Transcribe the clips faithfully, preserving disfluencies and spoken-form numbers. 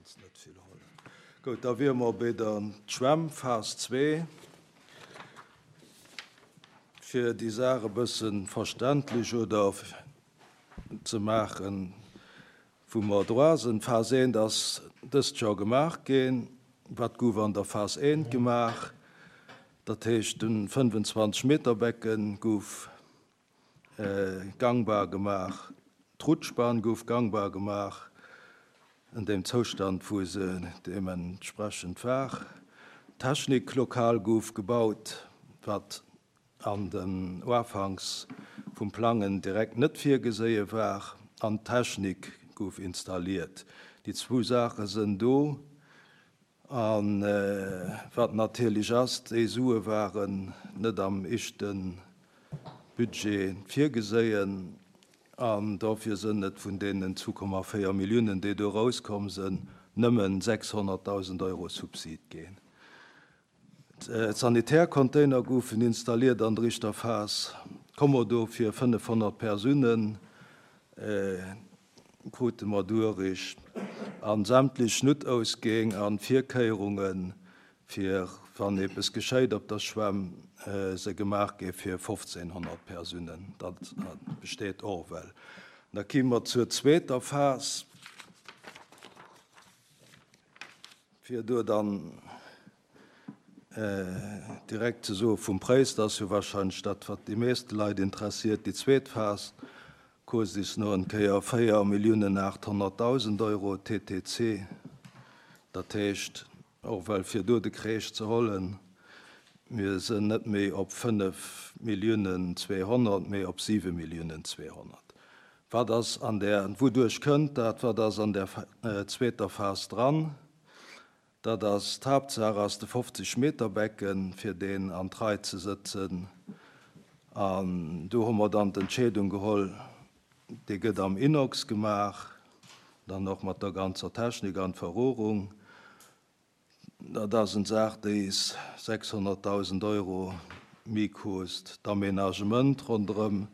Kanns net vill hollen. Gutt, da wiere mer bei der Schwämm, Phas zwee. Fir déi Saach e bësse verständlech oder ze maachen, wou mer dra sinn. Phas eent ass dëst Joer gemaach ginn. Wat gouf an der Phas eent gemaach? Dat heescht, de fënnfenzwanzeg Meter Becken gouf gangbar gemaach, d'Rutschbahn gouf gangbar gemaach, an deem Zoustand, wou se deementsprechend war. D'Techniklokal gouf gebaut, wat an den Uafanks vum Plangen direkt net virgeséie war, an d'Technik gouf installiert. Déi zwou Saache sënn do. A wat natierlech ass, déi Sue waren net am éischte Budget virgeséien, an dofir sënn et vun deenen zwou Komma véier Milliounen, déi do erauskomm sënn, nëmmen sechshonnertdausend Euro Subsid ginn. D'Sanitärcontainer goufen installiert an der éischter Phas, Kommodo fir fënnefhonnert Persounen krute mer duerich, a sämtlech Noutausgäng a Virkéierunge fir wann eppes geschéit op der Schwämm, se gemaach gi fir fofzénhonnert Persounen. Dat besteet och well. Da ki mer zur zweeter Phas, fir do dann direkt ze soe vum Präis, dat ass jo wahrscheinlech dat, wat déi meeste Leit interessiert. Déi zweet Phas kost is no en Kéier véier Milliounen aathonnertdausend Euro T T C. Dat heescht, och well fir do de Kreesch ze hollen, mir sinn net méi op fënnef Milliounen zweehonnert, mee op siwe Milliounen zweehonnert. Wat ass an der, wouduerch kënnt dat, wat ass an der zweeter Phas dran? Dat ass, d'Haaptsaach ass de fofzeg Meter Becken, fir deen an d'Rei ze sëtzen. An do hu mer dann d'Entscheedung geholl, dee gëtt am Inox gemaach, dann och mat der ganzer Technik an Verrohrung. Dat ass eng Saach, déi is sechshonnertdausend Euro méi kost. D'Aménagement ronderëm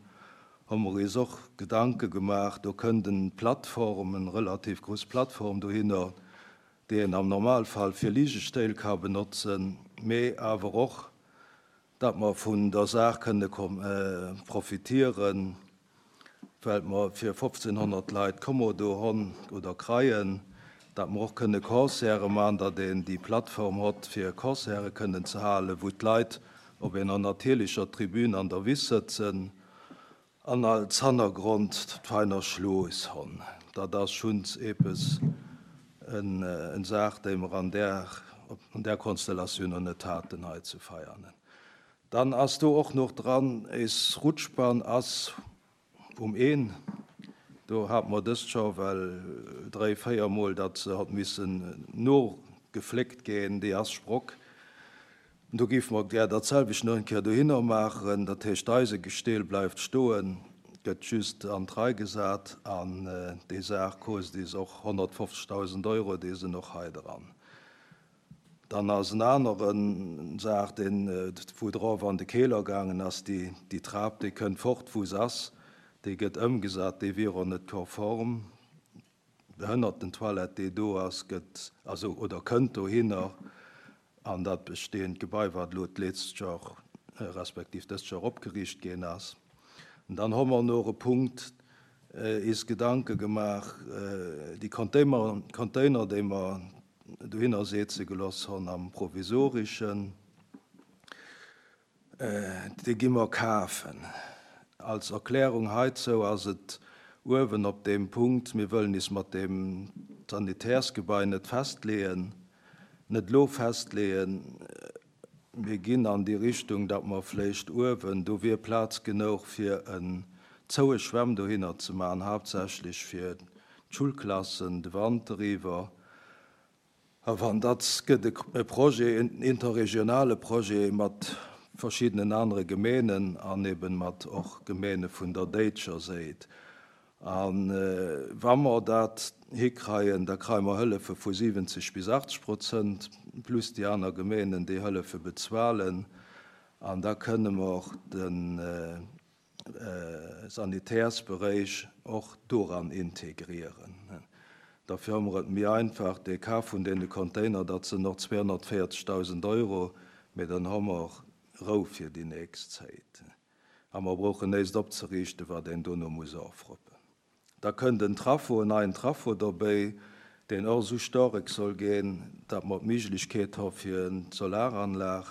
hu mer is och Gedanke gemaach. Do kënnt eng Plattform, eng relativ grouss Plattform dohinner, déi een am Normalfall fir Ligestéil ka benotzen, mee awer och, datt mer vun der Saach kënne profitieren, well mer fir fofzénhonnert Leit Kommodo honn oder kreien, datt mer och kënne Concerte maachen, datt een déi Plattform hott, fir Concerte kënnen ze halen, wou d'Leit op enger natierlecher Tribün an der Wiss sëtzen an als Hannergrond d'Veiner Schloss honn. Dat ass schonns eppes eng Saach, déi mer an där, an där Konstellatioun noch net haten hei zu Veianen. Dann ass do och noch dran, is Rutschbahn ass um een. Do hat mer dëst scho well dräi, véier Mol, datt se hat missen nogefléckt ginn, déi ass sprock. Do géife mer gär dat selwecht nach eng Kéier dohinner maachen. Dat heescht, d'Eisegesteel bleift stoen, gëtt just an d'Rei gesat, an déi Saach kost is och honnertfofzegdausend Euro, déi sinn och hei dran. Dann ass en aneren Saach, deen, wou drop an de Keeler gaangen ass, déi, déi Trap, déi kënnt fort, wou se ass, déi gëtt ëmgesat, déi wier och net konform. D'Behënnertentoilette, déi do ass, gëtt, also, oder kënnt dohinner an dat bestehend Gebai, wat elo d'letzt Joer, respektiv dëst Joer opgeriicht ginn ass. An dann hu mer nach e Punkt, is Gedanke gemaach, déi Container, Container, déi mer dohinner setze gelooss hunn am Provisorischen, déi gi mer kafen. Als Erklärung heizou ass et uewen op deem Punkt, mir wëllen is mat deem Sanitärsgebai net festleeën, net lo festleeën. Mir ginn an déi Richtung, datt mer vläicht uewen, do wier Plaz genuch fir en zoue Schwämm dohinner ze maachen, haaptsächlech fir d'Schulklassen de Wanter iwwer. A wann dat gëtt e Projet, en interregionale Projet mat verschiddenen anere Gemeenen an eben mat och Gemeene vun der déitscher Säit. A wa mer dat hikreien, da kreie mer Hëllefe vu siwwenzeg bis achtzeg Prozent, plus déi aner Gemeenen, déi Hëllefe bezuelen. An da kënne mer och de Sanitärsberäich och doran integrieren. Dafür hu mer et méi einfach, dee Kaf vun deene Container, dat sinn och zweehonnertvéierzegdausend Euro, mee dann hu mer Rou fir déi nächst Zäit. A mer brauchen näischt opzeriichten, wat een dono muss ofroppen. Da kënnt en Trafo, en neien Trafo dobäi, deen och esou staark soll ginn, datt mer d'Méiglechkeet hu fir en Solaranlag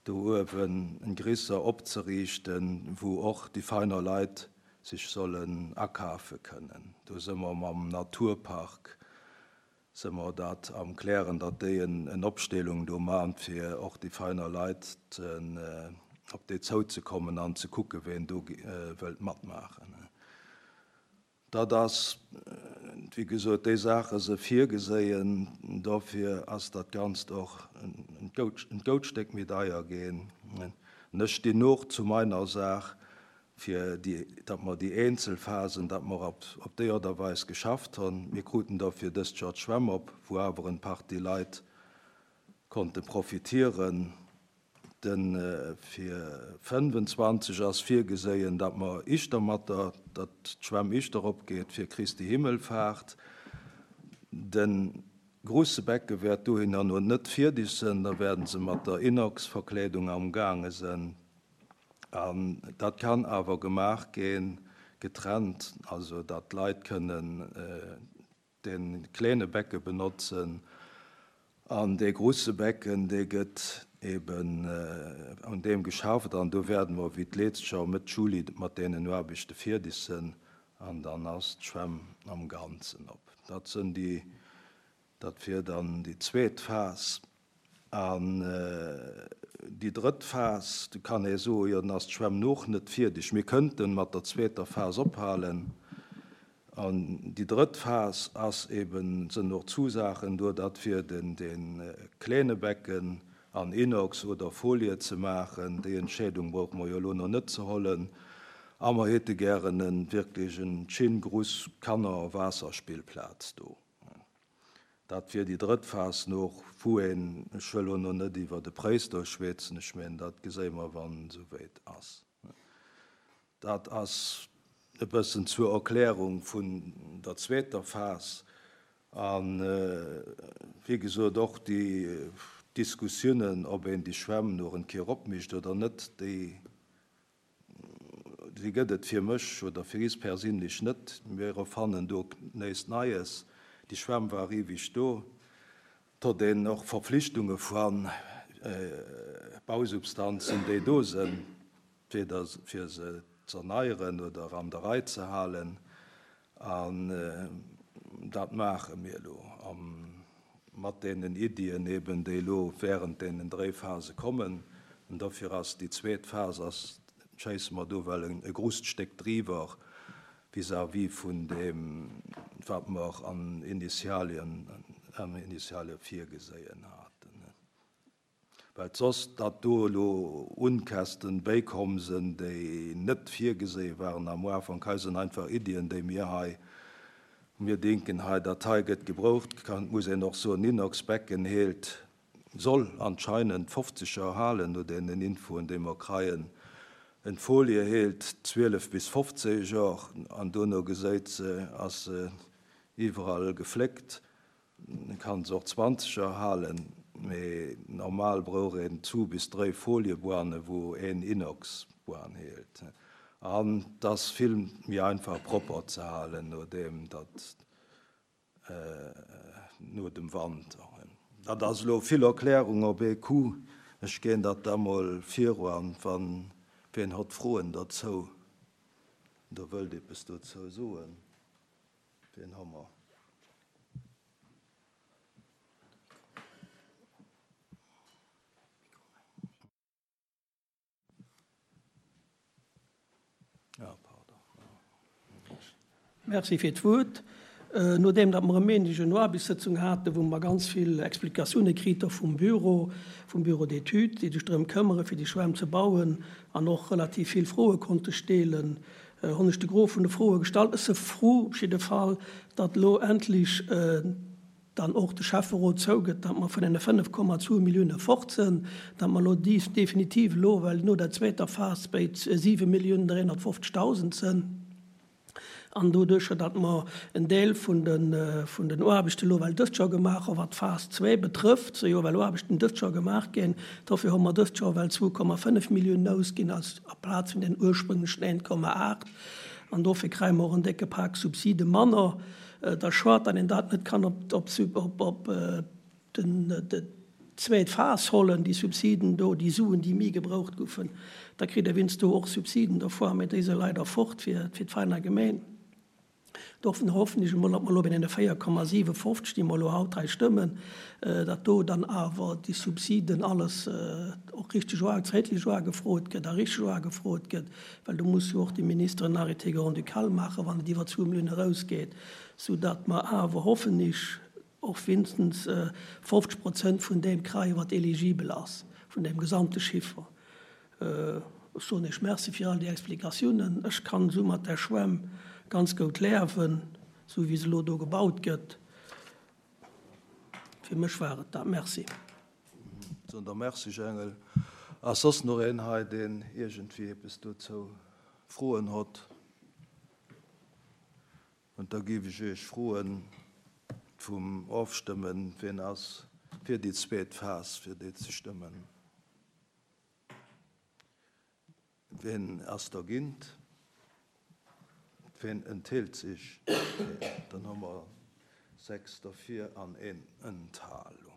do uewen en gréisser opzeriichten, wou och déi feiner Leit sech sollen akafe kënnen. Do si mer mam Naturpark, si mer dat am Klären, datt déi en, en Opstellung do maachen, fir och déi feiner Leit ze, op déi zouzekommen an ze kucken, wien do wëllt matmaachen. Dat ass, wéi gesot, déi Saache se virgeséien, dofir ass dat Ganzt och en gout, en gout Stéck méi deier ginn. Ech stinn och zu meiner Saach, fir déi, datt mer déi eenzel Phasen, datt mer op, op déi Aart a Weis geschafft hunn. Mir kruten dofir dëst Joer d'Schwämm op, wou awer en Partie Leit konnte profitieren. Den, fir fënnfenzwanzeg ass virgeséien, datt mer ischter mat der, datt d'Schwämm ischter opgeet fir Christi Himmelfahrt. Den grusse Becke wäert dohinner no net fierdeg sinn, da werden se mat der Inox-Verkleedung am gaange sinn. An dat kann awer gemaach ginn, getrennt, also datt d'Leit kënnen den kleine Becke benotzen. An dee grusse Becken, dee gëtt eben un deem geschafft, an do werden mer wéi d'letzt Joer Mëtt Juli mat deenen Aarbechte fierdeg sinn, an dann ass d'Schwämm am Ganzen op. Dat sinn déi, dat wier dann déi zweet Phas. An déi drëtt Phas, do kann ee soen, jo, dann ass d'Schwämm noch net fierdeg. Mir kënnten mat der zweeter Phas ophalen. An déi drëtt Phas ass eben, sinn och Zusaachen do, datt fir den, den kleine Becken an Inox oder Folie ze maachen. Déi Entscheedung brauche mer jo elo nach net ze hollen. A mer hätte gären en wierklech en schön gruss Kanner-Waasserspillplaz do. Dat wier déi drëtt Phas noch, wou een, ech wëll elo nach net iwwer de Präis do schwätzen, ech mengen, dat geséie mer, wann et esouwäit ass. Dat ass e bëssen zur Erklärung vun der zweeter Phas. An, wéi gesot, och déi Diskussiounen, ob een déi Schwämm noch en Kéier opmécht oder net, déi, déi gëtt et fir mech oder fir is perséinlech net. Mir erfannen do näischt Neies. Déi Schwämm war ewig do. Et huet een och Verpflichtunge vun Bausubstanzen, déi do sinn, fir das, fir se ze erneieren oder an der Rei ze halen. An dat maache mir elo. Am, mat deenen Iddien eben, déi elo während deenen dräi Phase kommen. An dofir ass déi zweet Phas, ass, schéisse mer do well en, e grosst Stéck driwwer vis-à-vis vun deem, wat mer an Initialien, an Initialie virgeséien haten. Well soss, datt do elo Unkästen béikomm sinn, déi net virgeséie waren am Ufank, hei sinn einfach Iddien, déi mir hei, mir denken hei, dat hei gëtt gebraucht, kann, muss een och soen, Inox-Becken heelt, soll anscheinend fofzeg Joer halen, no deenen Infoen, déi mer kreien. En Folie heelt zwielef bis fofzéng Joer, an dono geséit se, ass se iwwerall gefléckt. Kann se och zwanzeg Joer halen, mee normal brauch een zu bis dräi Folieboane, wou een Inox-Boan heelt. An das vill méi einfach propper ze halen, nodeem dat, no dem Wanter. Dat ass elo vill Erklärung op ee Coup. Ech ginn dat da mol viru an, wann wien hat Froen dozou, da wëllt eppes dozou soen. Wien hu mer? Ja, pardon. Merci fir d'Wuert. Nodeem dat mer e Méindeg eng Aarbechtssëtzung haten, wou mer ganz vill Explikatioune kritt hu vum Büro, vum Bureau d'études, déi sech drëm këmmere fir déi Schwämm ze bauen an och relativ vill Froe konnte stellen, hunn ech de Gros vun de Froe gestallt. Ech si frou op jidde Fall, datt elo endlech dann och de Schäfferot zougëtt, datt mer vun deene fënnef Komma zwou Millioune fort sinn, datt mer elo definitiv elo, well no der zweeter Phas bei siwe Milliounen dräihunnertfofzegtausend sinn. An doduercher, datt mer en Deel vun den, vun den Aarbechten elo well dëst Joer gemaach hu wat d'Phas zwee betrëfft, si jo well Aarbechten dëst Joer gemaach ginn, dofir hu mer dëst Joer well zwou Komma fënnef Milliounen ausginn als aplaz vun den ursprünglechen een Komma aacht. An dofir kréie mer och en décke Pak Subside manner. Et ass schued, datt een dat net kann op, op, op, op den, de zweet Phas hollen, déi Subsiden do, déi Suen, déi méi gebraucht goufen. Da kritt ee wéinst do och Subsiden dervor, mä déi si leider fort fir, fir d'Veiner Gemeen. Dofir hoffen ech emol, datt mer elo bei deene véier Komma siwefofzeg, déi mer elo haut hei stëmmen, datt do dann awer déi Subsiden alles och richteg zäitlech uagefrot gëtt a richteg uagefrot gëtt, well do muss jo och de Minister en Arrêté grand-ducal maachen, wann et iwwer zwou Milliounen erausgeet, soudatt mer awer, hoffen ech, och wéinstens fofzeg Prozent vun deem kréien, wat eligibel ass, vun deem gesamte Chiffer. Ech soen Iech Merci fir all déi Explikatiounen. Ech kann esou mat der Schwämm ganz goud liewen, sou wéi se elo do gebaut gëtt. Fir mech war et dat. Merci. Soen der Merci, Jengel. Ass soss nach een hei, deen iergendwéi eppes dozou Froen huet? Und da géif ech Iech froen vum Ofstëmmen, wien ass fir déi zweet Phas, fir déi ze stëmmen. Wien ass dergéint? Wien enthält sech? Dann hu mer sechs derfir an een Enthalung.